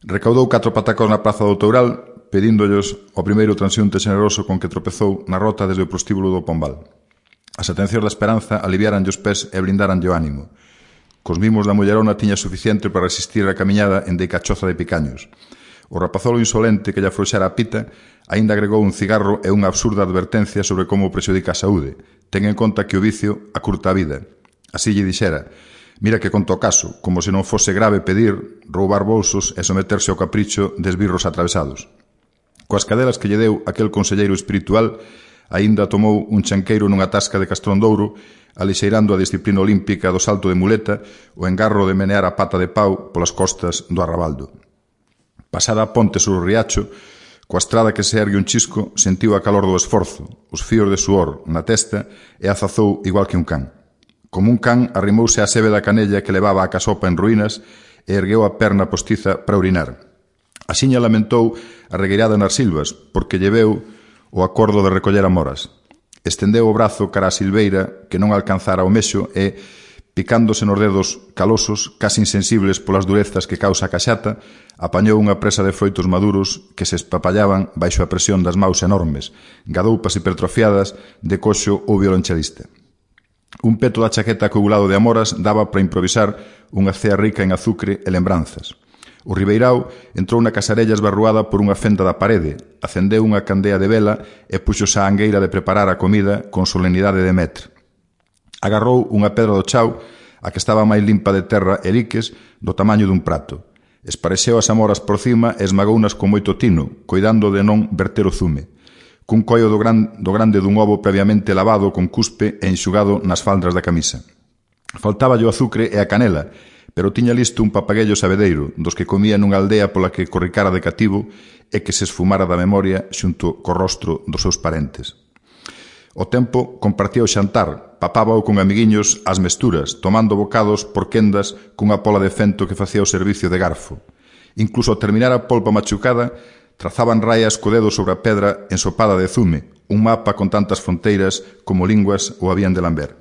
Recaudou 4 patacos na praza do Toural, pedíndollos ao primeiro transeúnte xeneroso con que tropezou na rota desde o prostíbulo do Pombal. As atencións da esperanza aliviaranlle os pés e brindaranlle o ánimo. Cos mimos da mullerona tiña suficiente para resistir a camiñada en deicachoza de picaños. O rapazolo insolente que lle afrouxara a pita aínda agregou un cigarro e unha absurda advertencia sobre como prexudica a saúde. Ten en conta que o vicio acurta a vida. Así lle dixera: mira que conto o caso, como se non fose grave pedir, roubar bolsos e someterse ao capricho de esbirros atravesados. Coas cadelas que lle deu aquel conselleiro espiritual, aínda tomou un chanqueiro nunha tasca de Castrondouro, alixeirando a disciplina olímpica do salto de muleta, o engarro de menear a pata de pau polas costas do Arrabaldo. Pasada a ponte sobre o riacho, coa estrada que se ergue un chisco, sentiu a calor do esforzo, os fíos de suor na testa e azazou igual que un can. Como un can, arrimouse á sebe da canella que levaba a casopa en ruínas e ergueu a perna postiza para orinar. Axiña lamentou a regueirada nas silvas, porque lle veu o acordo de recoller amoras. Estendeu o brazo cara a silveira que non alcanzara o mexo e, picándose nos dedos calosos, casi insensibles polas durezas que causa a caxata, apañou unha presa de froitos maduros que se espapallaban baixo a presión das maus enormes, gadoupas hipertrofiadas de coxo ou violonchelista. Un peto da chaqueta coagulado de amoras daba para improvisar unha cea rica en azucre e lembranzas. O ribeirao entrou na casarella esbarruada por unha fenda da parede, acendeu unha candea de vela e puxose á angueira de preparar a comida con solenidade de metre. Agarrou unha pedra do chao, a que estaba máis limpa de terra e liques, do tamaño dun prato. Esparexeu as amoras por cima e esmagounas con moito tino, coidando de non verter o zume. Cun collo do grande dun ovo previamente lavado con cuspe e enxugado nas faldas da camisa. Faltáballe o azucre e a canela, pero tiña listo un papaguello sabedeiro, dos que comía nunha aldea pola que corricara de cativo e que se esfumara da memoria xunto co rostro dos seus parentes. O tempo compartía o xantar, papábao con amiguiños ás mesturas, tomando bocados por quendas cunha pola de fento que facía o servicio de garfo. Incluso ao terminar a polpa machucada, trazaban raias co dedo sobre a pedra ensopada de zume, un mapa con tantas fronteiras como linguas o habían de lamber.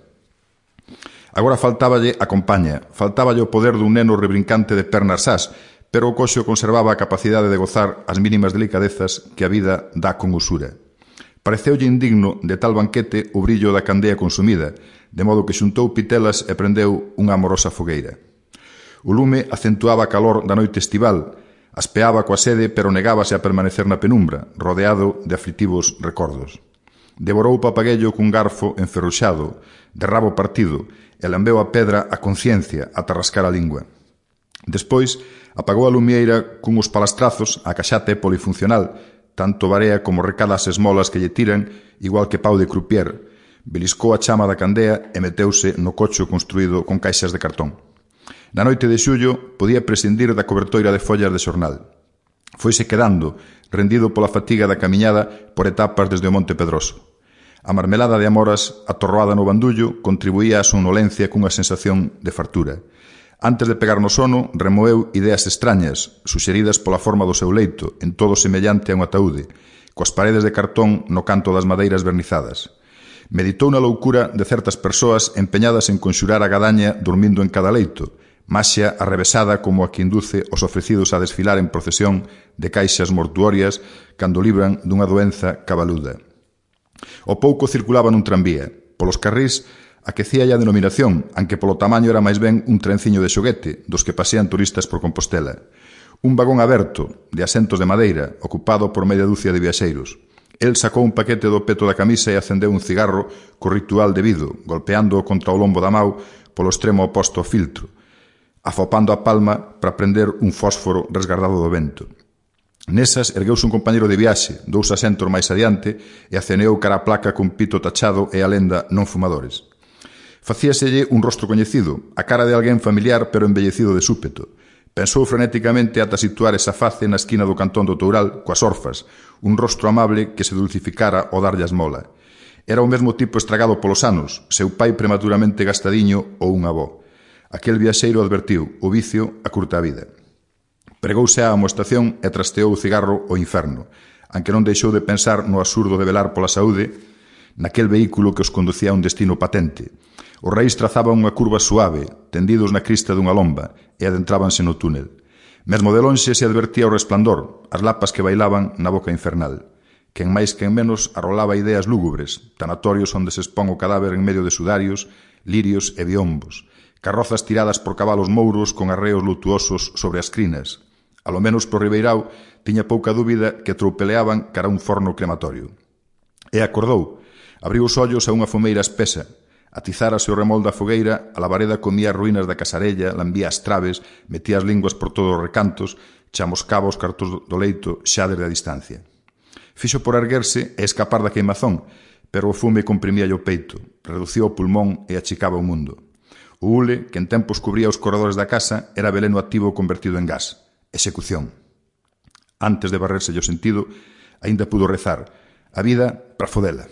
Agora faltáballe a compaña, faltáballe o poder dun neno rebrincante de pernas sás, pero o coxo conservaba a capacidade de gozar as mínimas delicadezas que a vida dá con usura. Pareceulle indigno de tal banquete o brillo da candea consumida, de modo que xuntou pitelas e prendeu unha amorosa fogueira. O lume acentuaba a calor da noite estival, aspeaba coa sede, pero negábase a permanecer na penumbra, rodeado de aflitivos recordos. Devorou o papaguello cun garfo enferruxado, de rabo partido, e lambeu a pedra a conciencia ata rascar a lingua. Despois, apagou a lumieira cunhos palastrazos, a caxata é polifuncional, tanto varea como recada as esmolas que lle tiran, igual que pau de croupier. Beliscou a chama da candea e meteuse no cocho construído con caixas de cartón. Na noite de xullo podía prescindir da cobertoira de follas de xornal. Foise quedando, rendido pola fatiga da camiñada por etapas desde o Monte Pedroso. A marmelada de amoras atorroada no bandullo contribuía á somnolencia cunha sensación de fartura. Antes de pegar no sono, remoeu ideas extrañas, suxeridas pola forma do seu leito, en todo semellante a un ataúde, coas paredes de cartón no canto das madeiras vernizadas. Meditou na loucura de certas persoas empeñadas en conxurar a gadaña dormindo en cada leito, maxia arrevesada como a que induce os ofrecidos a desfilar en procesión de caixas mortuorias cando libran dunha doenza cabaluda. O pouco circulaba nun tranvía. Polos carrís aquecíalle a denominación, aunque polo tamaño era máis ben un trenciño de xoguete, dos que pasean turistas por Compostela. Un vagón aberto, de asentos de madeira, ocupado por media dúcia de viaxeiros. El sacou un paquete do peto da camisa e acendeu un cigarro co ritual debido, golpeando contra o lombo da mau polo extremo oposto ao filtro, afopando a palma para prender un fósforo resgardado do vento. Nesas ergueuse un compañeiro de viaxe, 2 asentos máis adiante, e aceneou cara a placa con pito tachado e a lenda non fumadores. Facíaselle un rostro coñecido, a cara de alguén familiar pero embellecido de súpeto. Pensou frenéticamente ata situar esa face na esquina do cantón do Toural, coas orfas, un rostro amable que se dulcificara ao darlle a esmola. Era o mesmo tipo estragado polos anos, seu pai prematuramente gastadiño ou un avó. Aquel viaxeiro advertiu, o vicio acurta a vida. Pregouse á amoestación e trasteou o cigarro ao inferno, aunque non deixou de pensar no absurdo de velar pola saúde naquel vehículo que os conducía a un destino patente. Os reis trazaban unha curva suave, tendidos na crista dunha lomba, e adentrábanse no túnel. Mesmo de lonxe se advertía o resplandor, as lapas que bailaban na boca infernal. Quen máis quen menos arrolaba ideas lúgubres, tanatorios onde se expón o cadáver en medio de sudarios, lirios e biombos, carrozas tiradas por cabalos mouros con arreos lutuosos sobre as crinas. A lo menos por Ribeirao tiña pouca dúbida que troupeleaban cara a un forno crematorio. E acordou, abriu os ollos a unha fumeira espesa, atizárase o remol da fogueira, a labareda comía as ruínas da casarella, lambía as traves, metía as linguas por todos os recantos, chamoscaba os cartos do leito xa desde a distancia. Fixo por erguerse e escapar da queimazón, pero o fume comprimía o peito, reducía o pulmón e achicaba o mundo. O hule, que en tempos cubría os corredores da casa, era veleno activo convertido en gas. Execución. Antes de barrerse o sentido, aínda pudo rezar: a vida para fodela.